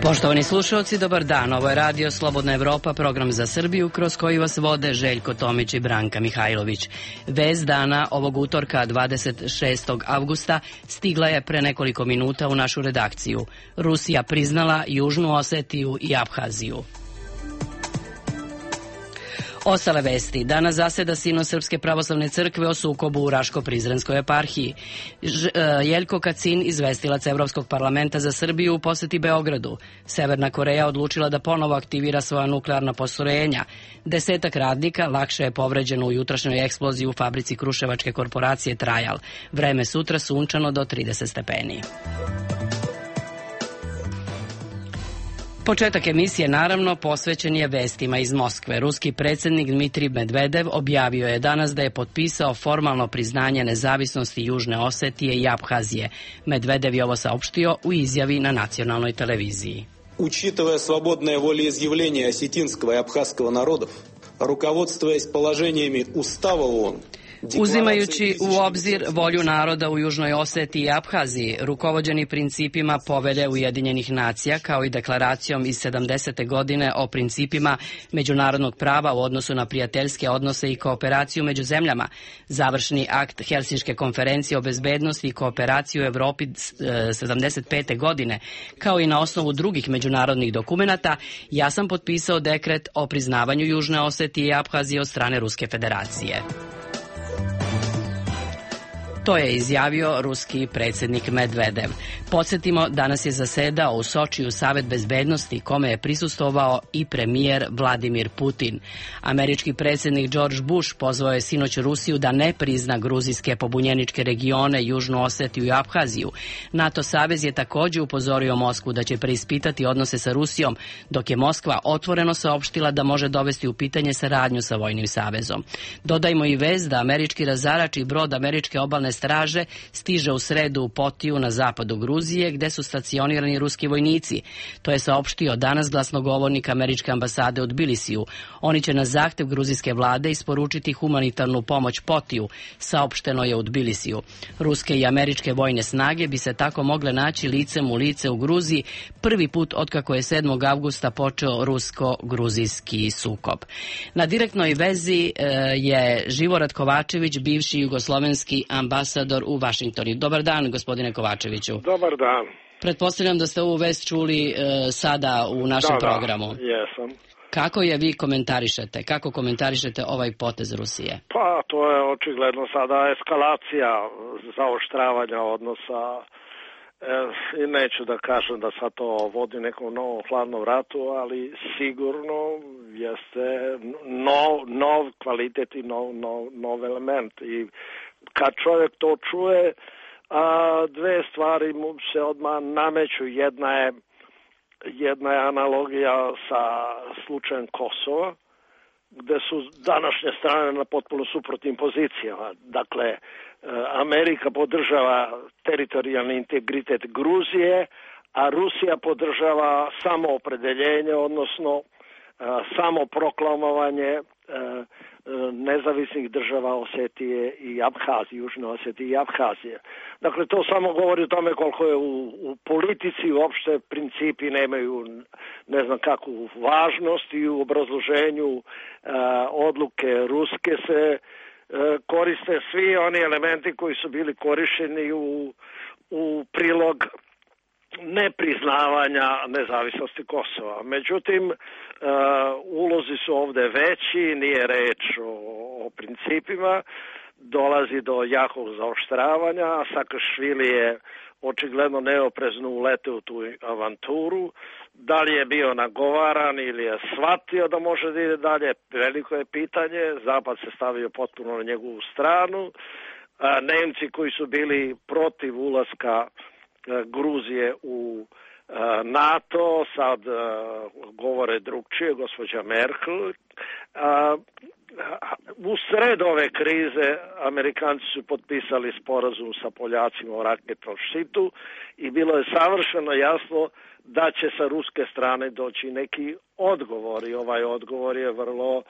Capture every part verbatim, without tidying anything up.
Poštovani slušalci, dobar dan. Ovo je Radio Slobodna Evropa, program za Srbiju, kroz koji vas vode Željko Tomić i Branka Mihajlović. Vest dana ovog utorka dvadeset šestog avgusta stigla je pre nekoliko minuta u našu redakciju. Rusija priznala Južnu Osetiju i Abhaziju. Ostale vesti. Danas zaseda Sinod Srpske pravoslavne crkve o sukobu u Raško-Prizrenskoj eparhiji. Ž, Jeljko Kacin, izvestilac Evropskog parlamenta za Srbiju, u poseti Beogradu. Severna Koreja odlučila da ponovo aktivira svoja nuklearna postrojenja. Desetak radnika lakše je povređeno u jutrašnjoj eksploziji u fabrici kruševačke korporacije Trajal. Vreme sutra sunčano do trideset stepeni. Početak emisije, naravno, posvećen je vestima iz Moskve. Ruski predsjednik Dmitrij Medvedev objavio je danas da je potpisao formalno priznanje nezavisnosti Južne Osetije i Abhazije. Medvedev je ovo saopštio u izjavi na nacionalnoj televiziji. Учитывая свободное волеизъявление осетинского и абхазского народов, руководствуясь положениями Устава ООН, Uzimajući u obzir volju naroda u Južnoj Osetiji i Abhaziji, rukovođeni principima Povelje Ujedinjenih nacija, kao i deklaracijom iz sedamdesete godine o principima međunarodnog prava u odnosu na prijateljske odnose i kooperaciju među zemljama, završni akt Helsinške konferencije o bezbednosti i kooperaciji u Evropi sedamdeset pete godine, kao i na osnovu drugih međunarodnih dokumenata, ja sam potpisao dekret o priznavanju Južne Osetije i Abhazije od strane Ruske federacije. To je izjavio ruski predsjednik Medvedev. Podsjetimo, danas je zasedao u Sočiju Savet bezbednosti, kome je prisustvovao i premijer Vladimir Putin. Američki predsjednik George Bush pozvao je sinoć Rusiju da ne prizna gruzijske pobunjeničke regione, Južnu Osetiju i Abhaziju. NATO savez je također upozorio Moskvu da će preispitati odnose sa Rusijom, dok je Moskva otvoreno saopštila da može dovesti u pitanje saradnju sa vojnim savezom. Dodajmo i vez da američki razarač i brod američke obalne straže stiže u sredu u Potiju na zapadu Gruzije, gde su stacionirani ruski vojnici. To je saopštio danas glasnogovornik američke ambasade u Tbilisiju. Oni će na zahtev gruzijske vlade isporučiti humanitarnu pomoć Potiju, saopšteno je u Tbilisiju. Ruske i američke vojne snage bi se tako mogle naći licem u lice u Gruziji prvi put otkako je sedmog avgusta počeo rusko-gruzijski sukob. Na direktnoj vezi e, je Živorad Kovačević, bivši jugoslovenski ambasador u Vašingtonu. Dobar dan, gospodine Kovačeviću. Dobar dan. Pretpostavljam da ste ovu vest čuli e, sada u našem da, programu. Da, jesam. Kako je vi komentarišete? Kako komentarišete ovaj potez Rusije? Pa, to je očigledno sada eskalacija zaoštravanja odnosa. E, I neću da kažem da sad to vodi nekom novom hladnom ratu, ali sigurno jeste nov, nov kvalitet i nov, nov, nov element. I kad čovjek to čuje, a, dve stvari mu se odmah nameću. Jedna je, jedna je analogija sa slučajem Kosova, gde su današnje strane na potpuno suprotnim pozicijama. Dakle, Amerika podržava teritorijalni integritet Gruzije, a Rusija podržava samoopredeljenje, odnosno samo proklamovanje nezavisnih država Osetije i Abhazije, Južne Osetije i Abhazije. Dakle, to samo govori o tome koliko je u, u politici uopšte principi nemaju ne znam kakvu važnost i u obrazloženju a, odluke Ruske se a, koriste svi oni elementi koji su bili korišćeni u, u prilog nepriznavanja nezavisnosti Kosova. Međutim, uh, ulozi su ovde veći, nije reč o, o principima, dolazi do jakog zaoštravanja, a Sakašvili je očigledno neoprezno uleteo u tu avanturu. Da li je bio nagovaran ili je shvatio da može da ide dalje, veliko je pitanje. Zapad se stavio potpuno na njegovu stranu. A, Nemci koji su bili protiv ulaska Gruzije u NATO, sad govore drugčije, gospođa Merkel. U sred ove krize Amerikanci su potpisali sporazum sa Poljacima o raketnom štitu i bilo je savršeno jasno da će sa ruske strane doći neki odgovor i ovaj odgovor je vrlo,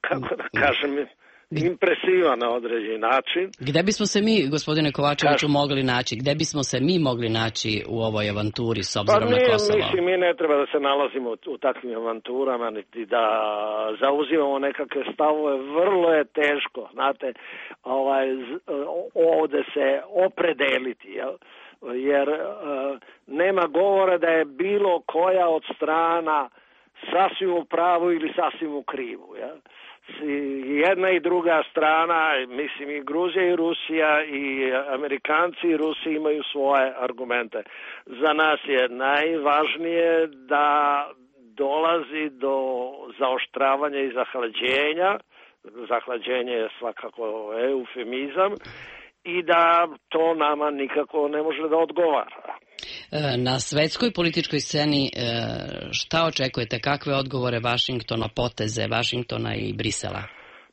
kako da kažem, impresivan na određeni način. Gde bismo se mi, gospodine Kovačeviću, mogli naći? Gde bismo se mi mogli naći u ovoj avanturi s obzirom pa na Kosovo? Mislim, mi ne treba da se nalazimo u, u takvim avanturama, niti da zauzimamo nekakve stavove. Vrlo je teško, znate, ovaj, ovde se opredeliti, jel? Jer uh, nema govora da je bilo koja od strana sasvim u pravu ili sasvim u krivu. Ja? Jedna i druga strana, mislim i Gruzija i Rusija i Amerikanci i Rusi imaju svoje argumente. Za nas je najvažnije da dolazi do zaoštravanja i zahlađenja. Zahlađenje je svakako eufemizam i da to nama nikako ne može da odgovara. Na svetskoj političkoj sceni šta očekujete? Kakve odgovore Vašingtona, poteze Vašingtona i Brisela?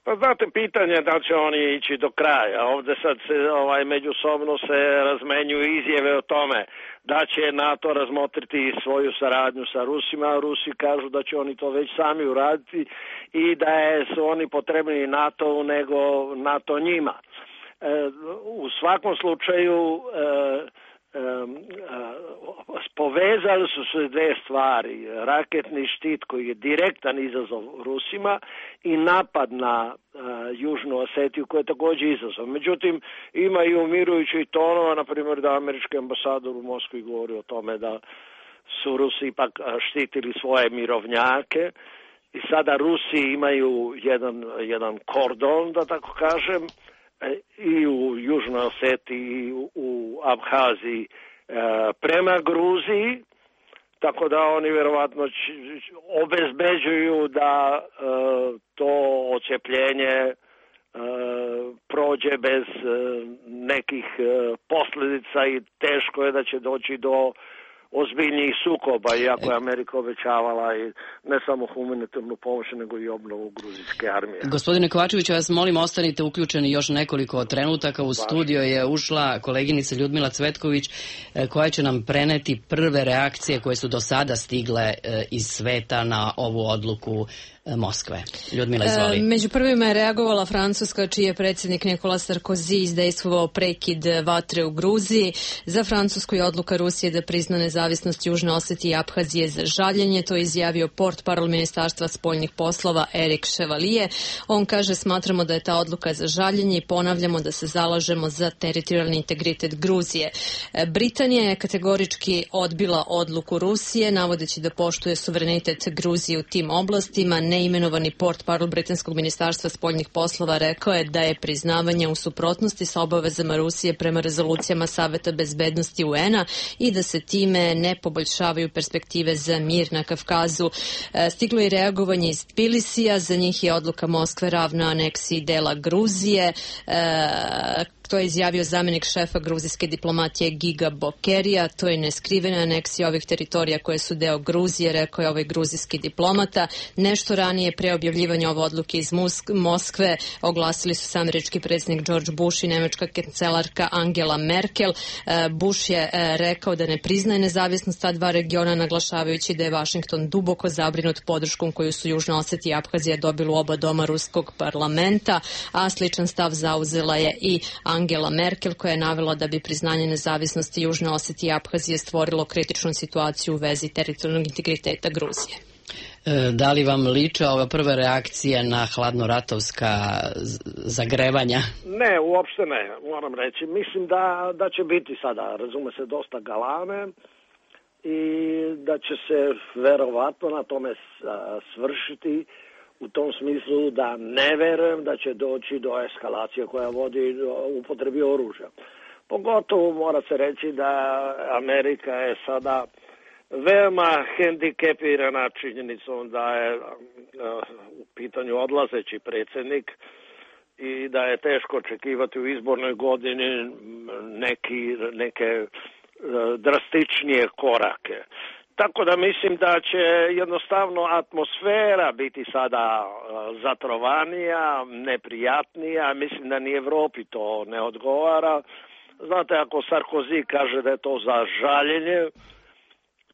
Pa znate, pitanje je da će oni ići do kraja. Ovde sad se ovaj, međusobno se razmenjuju izjave o tome da će NATO razmotriti svoju saradnju sa Rusima, a Rusi kažu da će oni to već sami uraditi i da je, su oni potrebni NATO-u nego NATO njima. E, u svakom slučaju e, Um, uh, povezali su se dve stvari. Raketni štit koji je direktan izazov Rusima i napad na uh, Južnu Osetiju koji je također izazov. Međutim, ima i umirujućih tonova, na primjer da američki ambasador u Moskvi govori o tome da su Rusi ipak štitili svoje mirovnjake i sada Rusi imaju jedan, jedan kordon, da tako kažem, i u Južnoj Osetiji i u Abhaziji prema Gruziji, tako da oni vjerovatno obezbeđuju da to odcepljenje prođe bez nekih posljedica i teško je da će doći do ozbiljnijih sukoba, iako je Amerika obećavala i ne samo humanitarnu pomoć, nego i obnovu gruzijske armije. Gospodine Kovačeviću, vas molim, ostanite uključeni još nekoliko trenutaka. U studio je ušla koleginica Ljudmila Cvetković, koja će nam preneti prve reakcije koje su do sada stigle iz sveta na ovu odluku Moskve. Ljudmila, izvoli. E, među prvima je reagovala Francuska, čiji je predsjednik Nicolas Sarkozy izdejstvovao prekid vatre u Gruziji. Za Francusku je odluka Rusije da prizna nezavisnost Južne Osetije i Abhazije za žaljenje. To je izjavio portparol Ministarstva spoljnih poslova Erik Chevalier. On kaže, smatramo da je ta odluka za žaljenje i ponavljamo da se zalažemo za teritorijalni integritet Gruzije. E, Britanija je kategorički odbila odluku Rusije, navodeći da poštuje suverenitet Gruzije u tim oblastima. Neimenovani portparol britanskog ministarstva spoljnih poslova rekao je da je priznavanje u suprotnosti sa obavezama Rusije prema rezolucijama Saveta bezbednosti U N-a i da se time ne poboljšavaju perspektive za mir na Kavkazu. Stiglo je reagovanje iz Tbilisija, za njih je odluka Moskve ravna aneksiji dela Gruzije. To je izjavio zamjenik šefa gruzijske diplomatije Giga Bokerija. To je neskrivena aneksija ovih teritorija koje su deo Gruzije, rekao je ovaj gruzijski diplomata. Nešto ranije, pre objavljivanja ove odluke iz Moskve, oglasili su se američki predsjednik George Bush i nemačka kancelarka Angela Merkel. Bush je rekao da ne priznaje nezavisnost ta dva regiona, naglašavajući da je Vašington duboko zabrinut podrškom koju su Južna Osetija i Abhazija dobili u oba doma ruskog parlamenta, a sličan stav zauzela je i Angela Merkel, koja je navela da bi priznanje nezavisnosti Južne Osetije i Abhazije stvorilo kritičnu situaciju u vezi teritorijalnog integriteta Gruzije. Da li vam liče ova prva reakcija na hladnoratovska zagrevanja? Ne, uopšte ne, moram reći. Mislim da, da će biti sada, razume se, dosta galame i da će se verovatno na tome svršiti, u tom smislu da ne verujem da će doći do eskalacije koja vodi do upotrebi oružja. Pogotovo mora se reći da Amerika je sada veoma hendikepirana činjenicom da je u pitanju odlazeći predsjednik i da je teško očekivati u izbornoj godini neki, neke drastičnije korake. Tako da mislim da će jednostavno atmosfera biti sada zatrovanija, neprijatnija. Mislim da ni Evropi to ne odgovara. Znate, ako Sarkozy kaže da je to za žaljenje,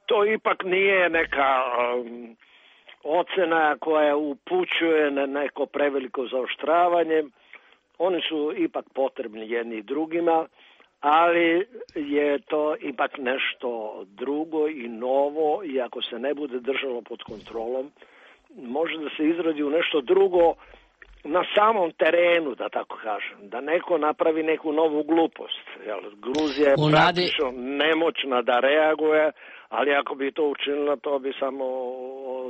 to ipak nije neka um, ocena koja upućuje na neko preveliko zaoštravanje. Oni su ipak potrebni jedni i drugima, ali je to ipak nešto drugo i novo i ako se ne bude držalo pod kontrolom, može da se izrodi u nešto drugo na samom terenu, da tako kažem, da neko napravi neku novu glupost. Jel, Gruzija je U praktično nadi... nemoćna da reaguje, ali ako bi to učinila, to bi samo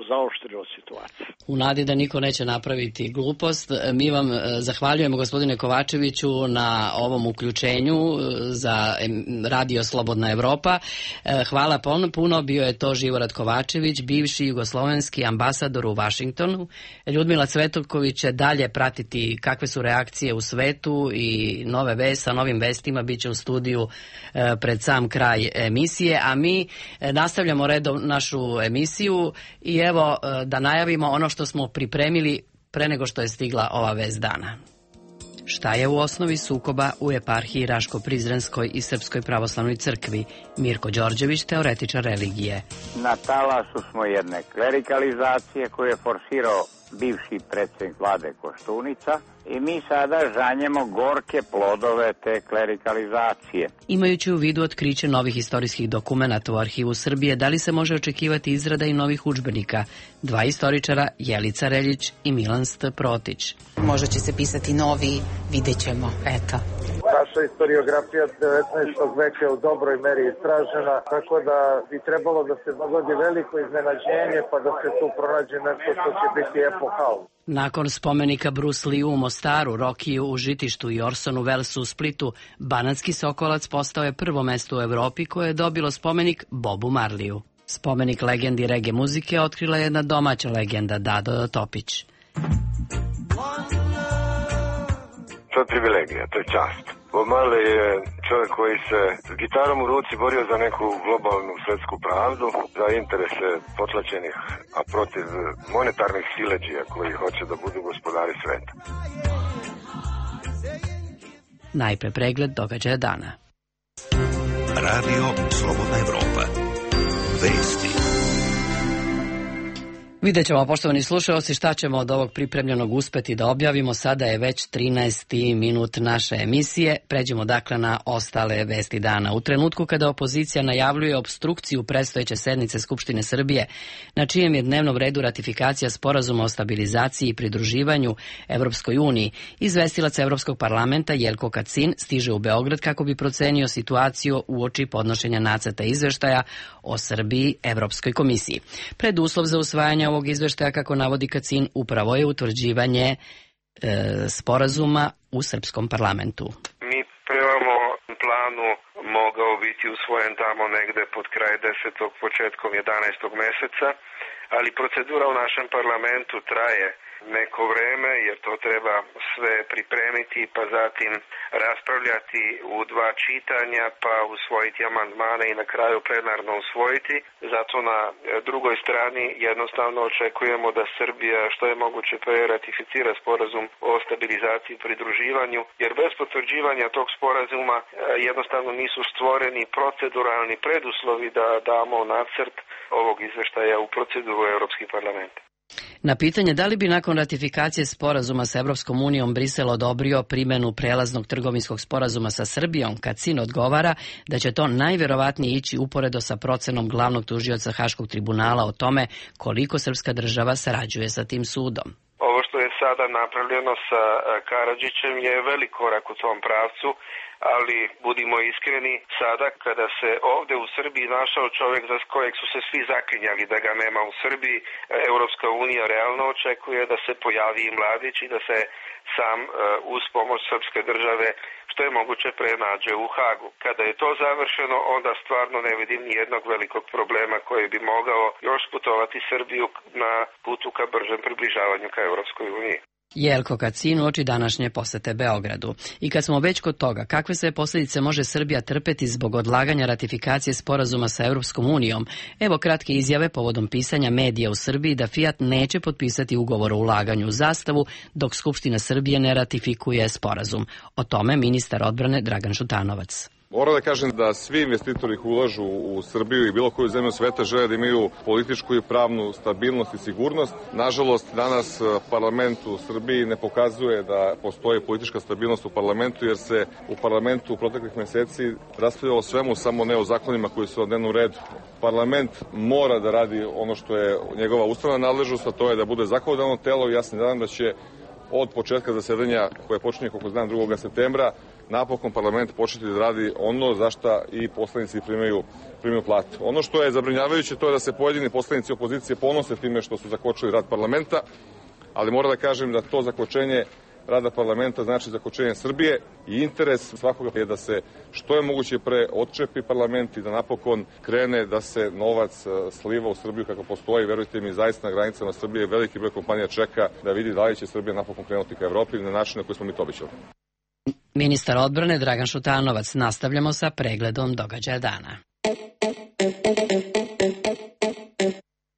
zaoštrilo situaciju. U nadi da niko neće napraviti glupost, mi vam zahvaljujemo, gospodine Kovačeviću, na ovom uključenju za Radio Slobodna Evropa. Hvala puno, bio je to Živorad Kovačević, bivši jugoslovenski ambasador u Vašingtonu. Ljudmila Cvetoković će dalje pratiti kakve su reakcije u svetu i nove vesti, sa novim vestima bit će u studiju pred sam kraj emisije, a mi nastavljamo redom našu emisiju i evo da najavimo ono što smo pripremili pre nego što je stigla ova vest dana. Šta je u osnovi sukoba u eparhiji Raško-Prizrenskoj i Srpskoj pravoslavnoj crkvi? Mirko Đorđević, teoretičar religije. Na talasu smo jedne klerikalizacije koju je forsirao bivši predsjednik vlade Koštunica i mi sada žanjemo gorke plodove te klerikalizacije. Imajući u vidu otkriće novih istorijskih dokumenata u arhivu Srbije, da li se može očekivati izrada i novih udžbenika? Dva istoričara, Jelica Reljić i Milan St. Protić. Možda će se pisati novi, vidjet ćemo, eto. Naša historiografija devetnaestog veka je u dobroj meri istražena, tako da bi trebalo da se dogodi veliko iznenađenje pa da se tu pronađe nešto što će biti epohalno. Nakon spomenika Bruce Lee u Mostaru, Rokiju u Žitištu i Orsonu Wellesu u Splitu, Banatski Sokolac postao je prvo mesto u Evropi koje je dobilo spomenik Bobu Marliju. Spomenik legendi reggae muzike otkrila je jedna domaća legenda, Dado Topić. To je privilegija, to je čast. Bob Marley je čovjek koji se s gitarom u ruci borio za neku globalnu svjetsku pravdu, za interese potlačenih, a protiv monetarnih siledžija koji hoće da budu gospodari sveta. Najpre pregled događaja dana. Radio Slobodna Evropa. Vesti. Vidjet ćemo, poštovani slušalci, šta ćemo od ovog pripremljenog uspeti da objavimo. Sada je već trinaesti minut naše emisije. Pređemo dakle na ostale vesti dana. U trenutku kada opozicija najavljuje obstrukciju predstojeće sednice Skupštine Srbije, na čijem je dnevnom redu ratifikacija sporazuma o stabilizaciji i pridruživanju Evropskoj uniji, izvestilac Evropskog parlamenta Jelko Kacin stiže u Beograd kako bi procenio situaciju uoči podnošenja nacrta izveštaja o Srbiji Evropskoj komisiji. Preduslov za usvajanje ovog izveštaja, kako navodi Kacin, upravo je utvrđivanje e, sporazuma u srpskom parlamentu. Mi premamo planu mogao biti usvojen tamo negde pod kraj desetog, početkom jedanaestog meseca, ali procedura u našem parlamentu traje neko vreme, jer to treba sve pripremiti, pa zatim raspravljati u dva čitanja, pa usvojiti amandmane i na kraju plenarno usvojiti. Zato na drugoj strani jednostavno očekujemo da Srbija što je moguće pre ratificira sporazum o stabilizaciji i pridruživanju, jer bez potvrđivanja tog sporazuma jednostavno nisu stvoreni proceduralni preduslovi da damo nacrt ovog izveštaja u proceduru Evropski parlament. Na pitanje da li bi nakon ratifikacije sporazuma sa Evropskom unijom Brisel odobrio primjenu prelaznog trgovinskog sporazuma sa Srbijom, Kacin odgovara da će to najverovatnije ići uporedo sa procenom glavnog tužioca Haškog tribunala o tome koliko srpska država sarađuje sa tim sudom. Ovo što je sada napravljeno sa Karadžićem je velik korak u tom pravcu, ali budimo iskreni, sada kada se ovde u Srbiji našao čovjek za kojeg su se svi zaklinjali da ga nema u Srbiji, Evropska unija realno očekuje da se pojavi i Mladić i da se sam uz pomoć srpske države što je moguće prenađe u Hagu. Kada je to završeno, onda stvarno ne vidim ni jednog velikog problema koji bi mogao još putovati Srbiju na putu ka bržem približavanju ka Evropskoj uniji. Jelko Kacin uoči današnje posete Beogradu. I kad smo već kod toga, kakve sve posljedice može Srbija trpeti zbog odlaganja ratifikacije sporazuma sa Evropskom unijom, evo kratke izjave povodom pisanja medija u Srbiji da Fiat neće potpisati ugovor o ulaganju u Zastavu dok Skupština Srbije ne ratifikuje sporazum. O tome ministar odbrane Dragan Šutanovac. Moram da kažem da svi investitori koji ulažu u Srbiju i bilo koju zemlju sveta žele da imaju političku i pravnu stabilnost i sigurnost. Nažalost, danas parlament u Srbiji ne pokazuje da postoji politička stabilnost u parlamentu, jer se u parlamentu u proteklih meseci raspravljalo o svemu, samo ne o zakonima koji su na dnevnom redu. Parlament mora da radi ono što je njegova ustavna nadležnost, a to je da bude zakonodavno telo i ja se nadam da će od početka zasedanja koje počinje, kako znam, drugog septembra, napokon parlament početi da radi ono za šta i poslanici primaju, primaju platu. Ono što je zabrinjavajuće to je da se pojedini poslanici opozicije ponose time što su zakočili rad parlamenta, ali moram da kažem da to zakočenje rada parlamenta znači zakočenje Srbije i interes svakoga je da se što je moguće pre odčepi parlament i da napokon krene da se novac sliva u Srbiju kako postoji. Verujte mi, zaista na granicama Srbije veliki broj kompanija čeka da vidi da li će Srbija napokon krenuti ka Evropi na način na koji smo mi to obećali. Ministar odbrane Dragan Šutanovac. Nastavljamo sa pregledom događaja dana.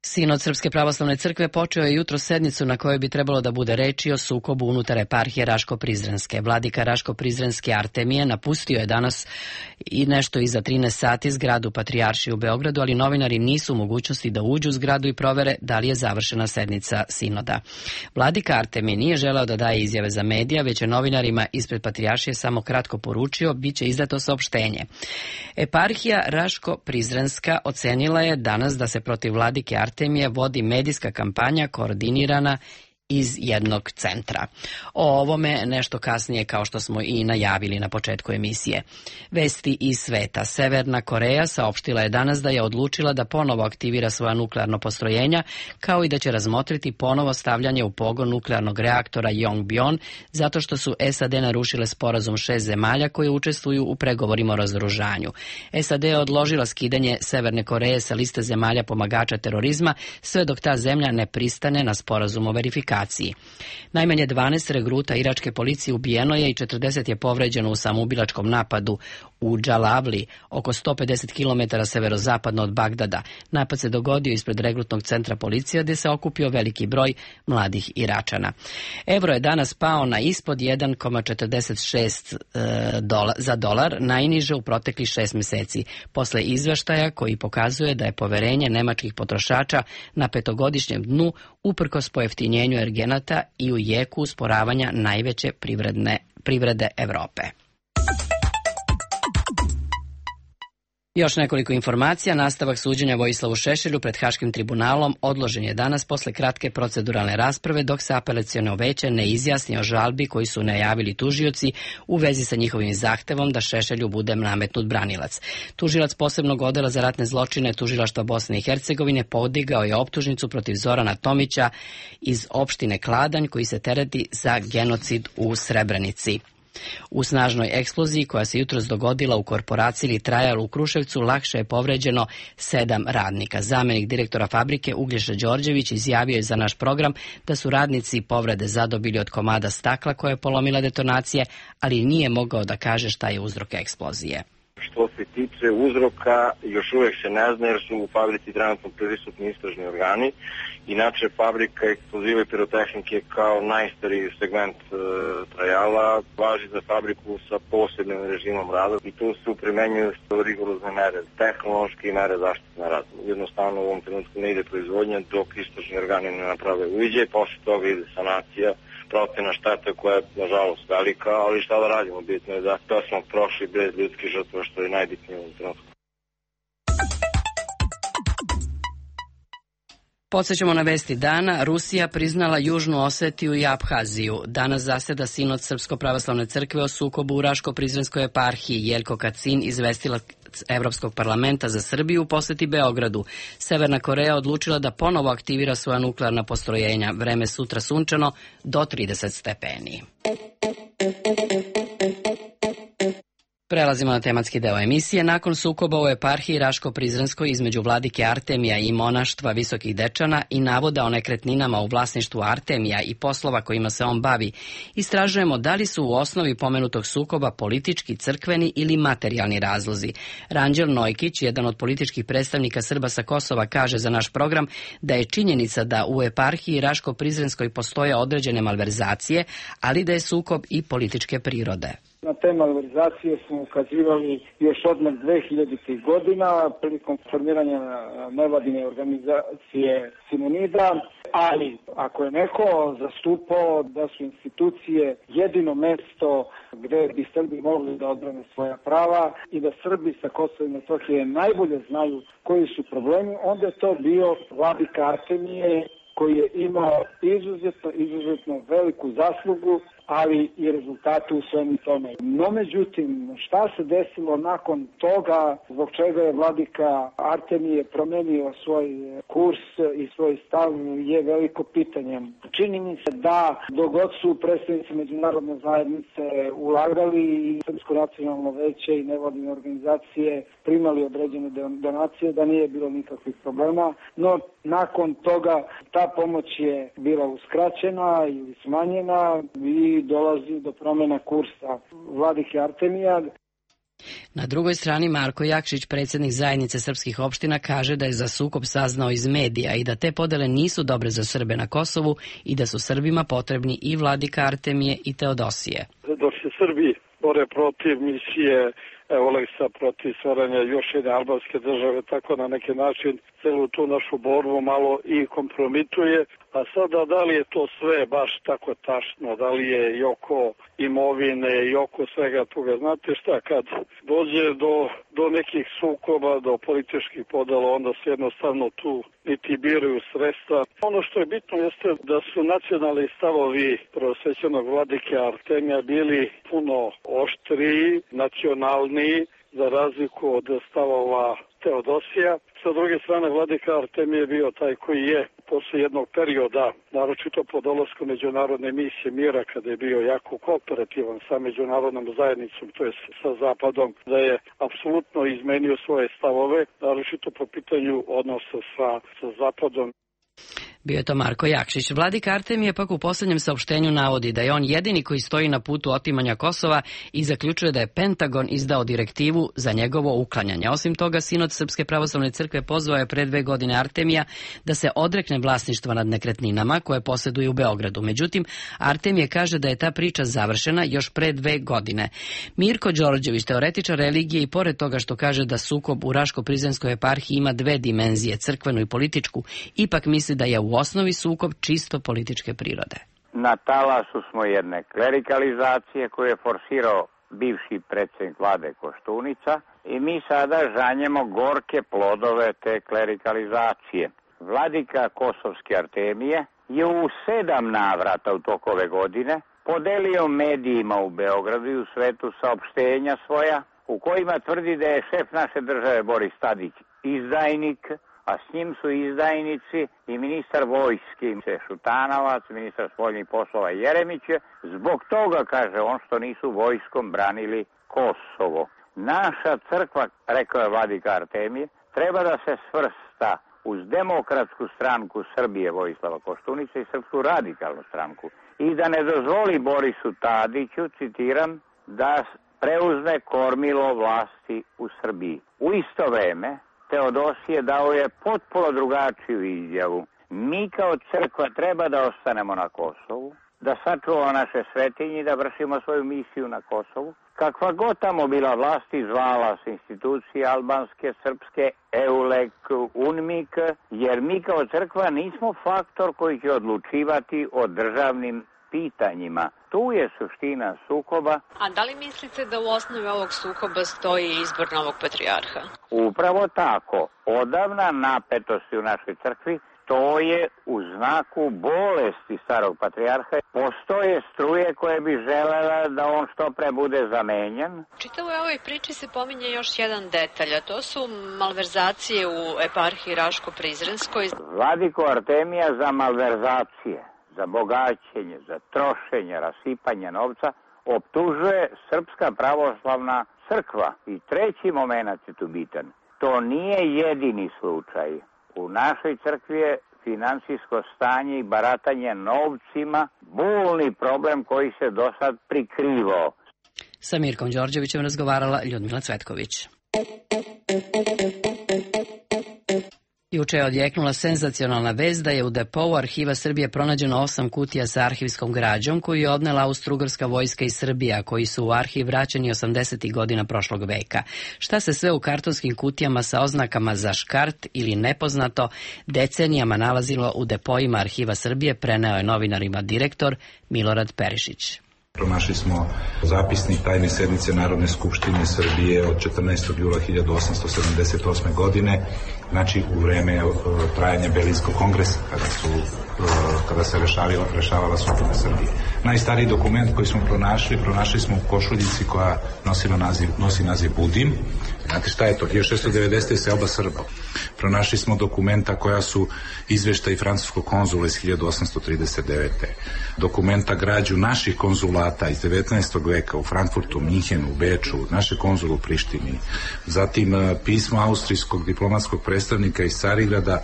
Sinod Srpske pravoslavne crkve počeo je jutro sednicu na kojoj bi trebalo da bude reči o sukobu unutar eparhije Raško-Prizrenske. Vladika Raško-Prizrenske Artemije napustio je danas i nešto iza trinaest sati zgradu Patrijaršije u Beogradu, ali novinari nisu u mogućnosti da uđu u zgradu i provere da li je završena sednica sinoda. Vladika Artemije nije želeo da daje izjave za medija, već je novinarima ispred Patrijaršije samo kratko poručio bit će izdato saopštenje. Eparhija Raško-Prizrenska ocenila je danas da se protiv vladike Artemije Artemije vodi medijska kampanja koordinirana iz jednog centra. O ovome nešto kasnije, kao što smo i najavili na početku emisije. Vesti iz sveta. Severna Koreja saopštila je danas da je odlučila da ponovo aktivira svoja nuklearno postrojenja, kao i da će razmotriti ponovo stavljanje u pogon nuklearnog reaktora Yongbyon, zato što su S A D narušile sporazum šest zemalja koje učestvuju u pregovorima o razoružanju. S A D je odložila skidanje Severne Koreje sa liste zemalja pomagača terorizma, sve dok ta zemlja ne pristane na sporazum o verifikaciji. Najmanje dvanaest regruta iračke policije ubijeno je i četrdeset je povređeno u samoubilačkom napadu u Džalavli, oko sto pedeset kilometara severozapadno od Bagdada. Napad se dogodio ispred regrutnog centra policije gdje se okupio veliki broj mladih Iračana. Evro je danas pao na ispod jedan zarez četrdeset šest dola, za dolar, najniže u proteklih šest meseci, posle izveštaja koji pokazuje da je poverenje nemačkih potrošača na petogodišnjem dnu uprkos pojeftinjenju energenata i u jeku usporavanja najveće privredne, privrede Evrope. Još nekoliko informacija. Nastavak suđenja Vojislavu Šešelju pred Haškim tribunalom odložen je danas posle kratke proceduralne rasprave dok se apelaciono veće ne izjasni o žalbi koji su najavili tužioci u vezi sa njihovim zahtevom da Šešelju bude nametnut branilac. Tužilac posebnog odela za ratne zločine Tužilaštva Bosne i Hercegovine podigao je optužnicu protiv Zorana Tomića iz opštine Kladanj koji se tereti za genocid u Srebrenici. U snažnoj eksploziji koja se jutros dogodila u korporaciji Trajal u Kruševcu lakše je povređeno sedam radnika. Zamenik direktora fabrike Uglješa Đorđević izjavio je za naš program da su radnici povrede zadobili od komada stakla koje je polomila detonacije, ali nije mogao da kaže šta je uzrok eksplozije. Što se tiče uzroka, još uvek se ne zna jer su u fabrici trenutno prisutni istražni organi. Inače, fabrika eksploziva i pirotehnike kao najstariji segment e, Trajala važi za fabriku sa posebnim režimom rada i tu su primenjuju rigorozne mere, tehnološke i mere zaštite na radu. Jednostavno u ovom trenutku ne ide proizvodnja dok istražni organi ne naprave uviđaj, posle toga ide sanacija, procena štete koja je nažalost velika, ali šta da radimo, bitno je da to smo prošli bez ljudskih žrtva, što je najbitnije u ovom trenutku. Podsećamo na vesti dana. Rusija priznala Južnu Osetiju i Abhaziju. Danas zaseda Sinod Srpsko pravoslavne crkve o sukobu u Raško-Prizrenskoj eparhiji. Jelko Kacin izvestila Evropskog parlamenta za Srbiju u poseti Beogradu. Severna Koreja odlučila da ponovo aktivira svoja nuklearna postrojenja. Vreme sutra sunčano do trideset stepeni. Prelazimo na tematski deo emisije. Nakon sukoba u eparhiji Raško-Prizrenskoj između vladike Artemija i monaštva Visokih Dečana i navoda o nekretninama u vlasništvu Artemija i poslova kojima se on bavi, istražujemo da li su u osnovi pomenutog sukoba politički, crkveni ili materijalni razlozi. Ranđel Nojkić, jedan od političkih predstavnika Srba sa Kosova, kaže za naš program da je činjenica da u eparhiji Raško-Prizrenskoj postoje određene malverzacije, ali da je sukob i političke prirode. Na te malverzacije smo ukazivali još odmah dve hiljaditih godina prilikom formiranja nevladine organizacije Simonida, ali ako je neko zastupao da su institucije jedino mesto gde bi Srbi mogli da odbrane svoja prava i da Srbi sa Kosova i Metohije najbolje znaju koji su problemi, onda je to bio vladika Artemije koji je imao izuzetno, izuzetno veliku zaslugu, ali i rezultate u svemu tome. No, međutim, šta se desilo nakon toga, zbog čega je vladika Artemije promenio svoj kurs i svoj stav, je veliko pitanje. Čini mi se da dok god su predstavnici međunarodne zajednice ulagali i Srpsko nacionalno veće i nevladine organizacije primali određene donacije, da nije bilo nikakvih problema, no nakon toga ta pomoć je bila uskraćena ili smanjena i dolazi do promjena kursa vladike Artemija. Na drugoj strani Marko Jakšić, predsjednik zajednice srpskih opština, kaže da je za sukob saznao iz medija i da te podele nisu dobre za Srbe na Kosovu i da su Srbima potrebni i vladika Artemije i Teodosije. Dok se Srbi bore protiv misije Oleksa, protiv stvaranja još jedne albanske države, tako na neki način celu tu našu borbu malo i kompromituje. A sada da li je to sve baš tako tačno, da li je i oko imovine i oko svega toga. Znate šta, kad dođe do, do nekih sukoba, do političkih podela, onda se jednostavno tu niti biraju sredstva. Ono što je bitno jeste da su nacionalni stavovi prvosvećenog vladike Artemija bili puno oštriji, nacionalniji, za razliku od stavova Teodosija. Sa druge strane, vladika Artemije je bio taj koji je posle jednog perioda, naročito po dolasku međunarodne misije mira, kada je bio jako kooperativan sa međunarodnom zajednicom, to je sa Zapadom, da je apsolutno izmenio svoje stavove, naročito po pitanju odnosa sa, sa Zapadom. Bio je to Marko Jakšić. Vladika Artemije pak u posljednjem saopštenju navodi da je on jedini koji stoji na putu otimanja Kosova i zaključuje da je Pentagon izdao direktivu za njegovo uklanjanje. Osim toga, Sinod Srpske pravoslavne crkve pozvao je pre dve godine Artemija da se odrekne vlasništva nad nekretninama koje posjeduje u Beogradu. Međutim, Artemije kaže da je ta priča završena još pre dve godine. Mirko Đorđević, teoretičar religije, i pored toga što kaže da sukob u Raško-Prizrenskoj eparhiji ima dve dimenzije, crkvenu i političku, ipak misli da je u osnovi sukob čisto političke prirode. Na talasu smo jedne klerikalizacije koju je forsirao bivši predsjednik vlade Koštunica i mi sada žanjemo gorke plodove te klerikalizacije. Vladika Kosovske Artemije je u sedam navrata u toku ove godine podelio medijima u Beogradu i u svetu saopštenja svoja u kojima tvrdi da je šef naše države Boris Tadić izdajnik, a s njim su izdajnici i ministar vojske Šutanovac, ministar spoljnih poslova Jeremić, zbog toga, kaže on, što nisu vojskom branili Kosovo. Naša crkva, rekao je vladika Artemije, treba da se svrsta uz Demokratsku stranku Srbije Vojislava Koštunice i Srpsku radikalnu stranku i da ne dozvoli Borisu Tadiću, citiram, da preuzme kormilo vlasti u Srbiji. U isto vreme Teodosije dao je potpuno drugačiju izjavu. Mi kao crkva treba da ostanemo na Kosovu, da sačuvamo naše svetinje i da vršimo svoju misiju na Kosovu. Kakva god tamo bila vlast, zvala se institucije albanske, srpske, EULEK, UNMIK, jer mi kao crkva nismo faktor koji će odlučivati o državnim pitanjima. Tu je suština sukoba. A da li mislite da u osnovi ovog sukoba stoji izbor novog patrijarha? Upravo tako. Odavna napetosti u našoj crkvi, to je u znaku bolesti starog patrijarha. Postoje struje koje bi želela da on što pre bude zamenjen. Čitavoj ovoj priči se pominje još jedan detalj, a to su malverzacije u eparhiji Raško-Prizrenskoj. Vladiko Artemija za malverzacije, za bogaćenje, za trošenje, rasipanje novca, optužuje Srpska pravoslavna crkva. I treći moment je tu bitan. To nije jedini slučaj. U našoj crkvi je finansijsko stanje i baratanje novcima bolni problem koji se do sad prikrivao. Sa Mirkom Đorđevićem razgovarala Ljudmila Cvetković. Juče je odjeknula senzacionalna vest da je u depou Arhiva Srbije pronađeno osam kutija sa arhivskom građom koju je odnela Austro-ugarska vojska iz Srbije, a koji su u arhiv vraćeni osamdesetih godina prošlog veka. Šta se sve u kartonskim kutijama sa oznakama za škart ili nepoznato decenijama nalazilo u depoima Arhiva Srbije, preneo je novinarima direktor Milorad Perišić. Pronašli smo zapisnik tajne sednice Narodne skupštine Srbije od četrnaestog jula hiljadu osamsto sedamdeset osme. godine, znači u vreme trajanja Berlinskog kongresa, kada, su, kada se rešavala, rešavala sudbina Srbije. Najstariji dokument koji smo pronašli, pronašli smo u košuljici koja nosila naziv, nosi naziv Budim. Znate šta je to? hiljadu šesto devedesete. selba Srba. Pronašli smo dokumenta koja su izveštaji francuskog konzula iz hiljadu osamsto trideset devete. Dokumenta građu naših konzulata iz devetnaestog veka u Frankfurtu, Minhenu, Beču, naše konzulu u Prištini. Zatim pismo austrijskog diplomatskog predstavnika iz Carigrada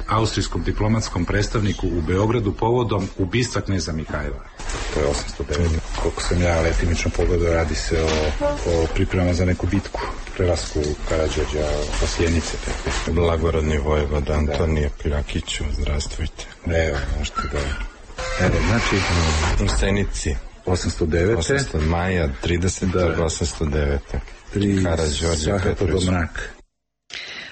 austrijskom diplomatskom predstavniku u Beogradu povodom ubistva kneza Mihajla. To je osamsto devet. Koliko sam ja letimično pogledao, radi se o, o pripremama za neku bitku, prelasku Karađorđa po Sjenice. Blagorodni vojvoda Antonije Piljakiću, zdravstvujte. Evo, možete da... Evo, znači... U Sjenici. osamsto devete. osamsto maja, tridesetog osamsto devete. Karađorđa Petrović.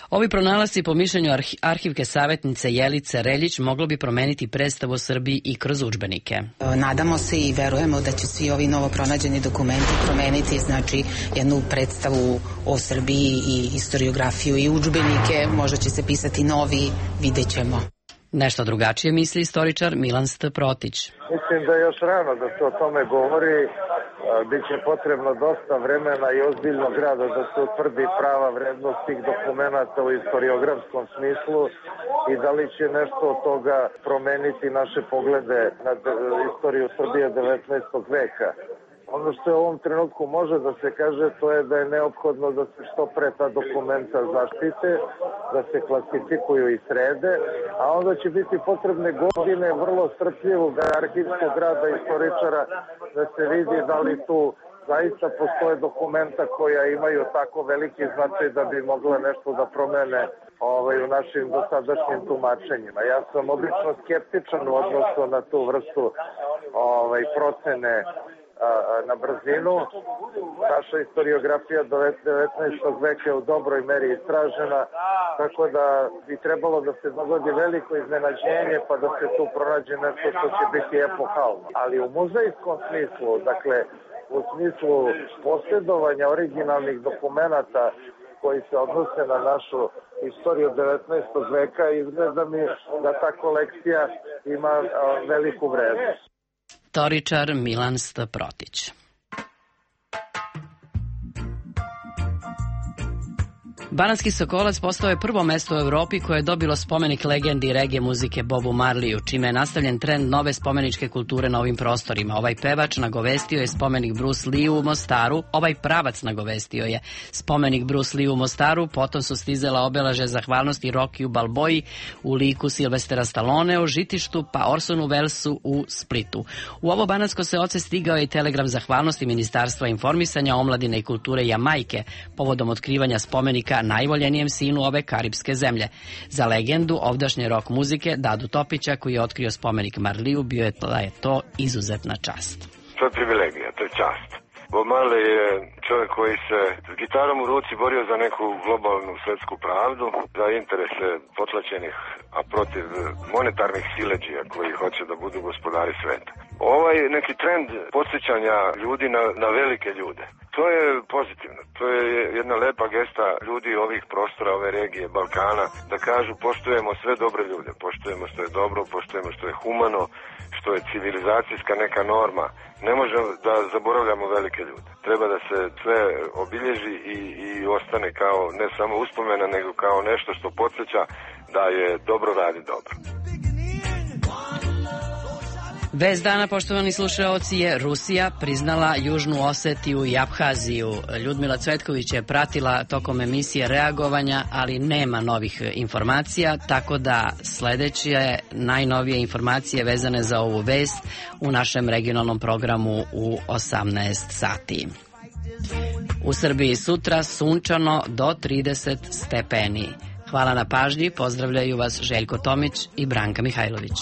Ovi pronalasci, po mišljenju arhivke savjetnice Jelice Reljić, moglo bi promeniti predstavu o Srbiji i kroz udžbenike. Nadamo se i verujemo da će svi ovi novo pronađeni dokumenti promeniti, znači, jednu predstavu o Srbiji i historiografiju i udžbenike. Možda će se pisati novi, vidjet ćemo. Nešto drugačije misli istoričar Milan St. Protić. Mislim da je još rano da se o tome govori. Biće potrebno dosta vremena i ozbiljnog rada da se utvrdi prava vrednost tih dokumenata u historiografskom smislu i da li će nešto od toga promeniti naše poglede na istoriju Srbije devetnaestog veka. Ono što je u ovom trenutku može da se kaže, to je da je neophodno da se što pre ta dokumenta zaštite, da se klasifikuju i srede, a onda će biti potrebne godine vrlo strpljivog arhivskog rada istoričara da se vidi da li tu zaista postoje dokumenta koja imaju tako veliki značaj da bi mogle nešto da promene ovaj, u našim dosadašnjim tumačenjima. Ja sam obično skeptičan u odnosu na tu vrstu ovaj, procene na brzinu. Naša historiografija devetnaestog veka je u dobroj meri istražena, tako da bi trebalo da se dogodi veliko iznenađenje pa da se tu pronađe nešto što će biti epohalno. Ali u muzejskom smislu, dakle u smislu posjedovanja originalnih dokumenata koji se odnose na našu istoriju devetnaestog veka, izgleda mi da ta kolekcija ima veliku vrednost. Istoričar Milan St. Protić. Banatski Sokolac postao je prvo mesto u Evropi koje je dobilo spomenik legendi reggae muzike Bobu Marleyu, čime je nastavljen trend nove spomeničke kulture na ovim prostorima. Ovaj pevač nagovestio je spomenik Bruce Lee u Mostaru, ovaj pravac nagovestio je spomenik Bruce Lee u Mostaru, potom su stizala obeleže zahvalnosti Rockiju Balboji u liku Silvestera Stallone u Žitištu, pa Orsonu Wellesu u Splitu. U ovo banatsko seoce stigao je i telegram zahvalnosti Ministarstva informisanja, omladine i kulture Jamajke povodom otkrivanja spomenika najvoljenijem sinu ove karipske zemlje. Za legendu ovdašnje rock muzike Dadu Topića, koji je otkrio spomenik Marleyu, bio je to izuzetna čast. To je privilegija, to je čast. Bob Marley je čovjek koji se s gitarom u ruci borio za neku globalnu svetsku pravdu, za interese potlačenih, a protiv monetarnih siledžija koji hoće da budu gospodari sveta. Ovaj neki trend podsjećanja ljudi na, na velike ljude, to je pozitivno. To je jedna lepa gesta ljudi ovih prostora, ove regije, Balkana, da kažu poštujemo sve dobre ljude, poštujemo što je dobro, poštujemo što je humano, što je civilizacijska neka norma. Ne možemo da zaboravljamo velike ljude. Treba da se sve obilježi i, i ostane kao ne samo uspomena, nego kao nešto što podsjeća da je dobro radi dobro. Vest dana, poštovani slušaoci, je Rusija priznala Južnu Osetiju i Abhaziju. Ljudmila Cvetković je pratila tokom emisije reagovanja, ali nema novih informacija, tako da sledeće najnovije informacije vezane za ovu vest u našem regionalnom programu u osamnaest sati. U Srbiji sutra sunčano do trideset stepeni. Hvala na pažnji, pozdravljaju vas Željko Tomić i Branka Mihajlović.